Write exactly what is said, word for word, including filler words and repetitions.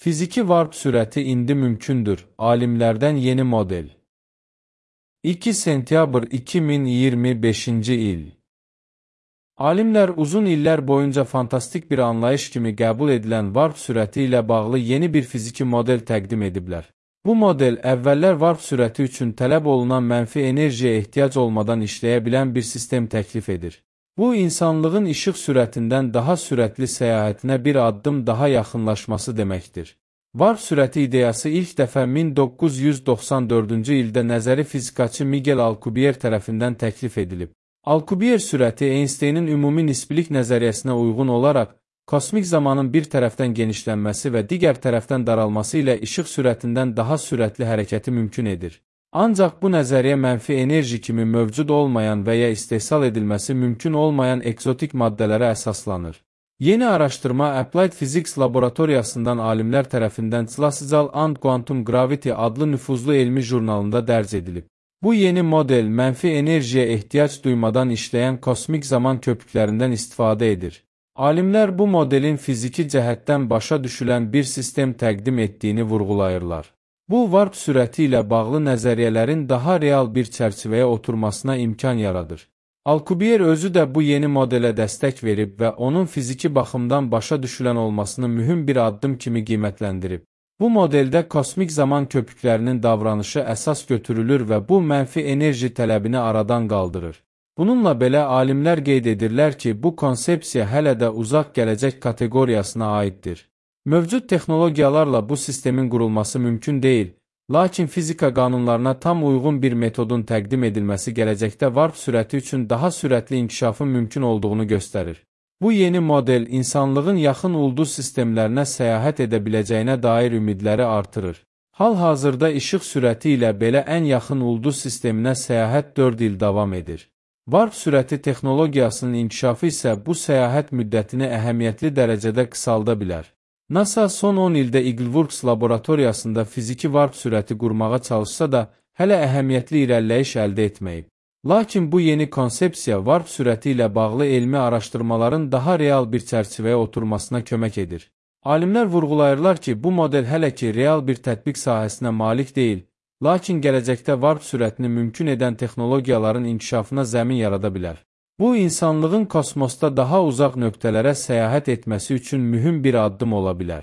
Fiziki varp sürəti indi mümkündür. Alimlərdən yeni model. iki sentyabr iki min iyirmi beşinci il. Alimlər uzun illər boyunca fantastik bir anlayış kimi qəbul edilən varp sürəti ilə bağlı yeni bir fiziki model təqdim ediblər. Bu model əvvəllər varp sürəti üçün tələb olunan mənfi enerjiyə ehtiyac olmadan işləyə bilən bir sistem təklif edir. Bu, insanlığın işıq sürətindən daha sürətli səyahətinə bir addım daha yaxınlaşması deməkdir. Varp sürəti ideyası ilk dəfə min doqquz yüz doxsan dördüncü ildə nəzəri fizikaçı Miguel Alcubierre tərəfindən təklif edilib. Alcubierre sürəti Einsteynin ümumi nisbilik nəzəriyyəsinə uyğun olaraq, kosmik zamanın bir tərəfdən genişlənməsi və digər tərəfdən daralması ilə işıq sürətindən daha sürətli hərəkəti mümkün edir. Ancaq bu nəzəriyyə mənfi enerji kimi mövcud olmayan və ya istehsal edilməsi mümkün olmayan ekzotik maddələrə əsaslanır. Yeni araşdırma Applied Physics laboratoriyasından alimlər tərəfindən Classical and Quantum Gravity adlı nüfuzlu elmi jurnalında dərc edilib. Bu yeni model mənfi enerjiyə ehtiyac duymadan işləyən kosmik zaman köpüklərindən istifadə edir. Alimlər bu modelin fiziki cəhətdən başa düşülən bir sistem təqdim etdiyini vurğulayırlar. Bu, varp sürəti ilə bağlı nəzəriyyələrin daha real bir çərçivəyə oturmasına imkan yaradır. Alcubierre özü də bu yeni modelə dəstək verib və onun fiziki baxımdan başa düşülən olmasını mühüm bir addım kimi qiymətləndirib. Bu modeldə kosmik zaman köpüklərinin davranışı əsas götürülür və bu mənfi enerji tələbini aradan qaldırır. Bununla belə alimlər qeyd edirlər ki, bu konsepsiya hələ də uzaq gələcək kateqoriyasına aiddir. Mövcud texnologiyalarla bu sistemin qurulması mümkün deyil, lakin fizika qanunlarına tam uyğun bir metodun təqdim edilməsi gələcəkdə varp sürəti üçün daha sürətli inkişafın mümkün olduğunu göstərir. Bu yeni model insanlığın yaxın ulduz sistemlərinə səyahət edə biləcəyinə dair ümidləri artırır. Hal-hazırda işıq sürəti ilə belə ən yaxın ulduz sisteminə səyahət dörd il davam edir. Varp sürəti texnologiyasının inkişafı isə bu səyahət müddətini əhəmiyyətli dərəcədə qısalda bilər. NASA son on ildə Eagleworks laboratoriyasında fiziki varp sürəti qurmağa çalışsa da, hələ əhəmiyyətli irəliləyiş əldə etməyib. Lakin bu yeni konsepsiya varp sürəti ilə bağlı elmi araşdırmaların daha real bir çərçivəyə oturmasına kömək edir. Alimlər vurğulayırlar ki, bu model hələ ki real bir tətbiq sahəsinə malik deyil, lakin gələcəkdə varp sürətini mümkün edən texnologiyaların inkişafına zəmin yarada bilər. Bu, insanlığın kosmosda daha uzaq nöqtələrə səyahət etməsi üçün mühüm bir addım ola bilər.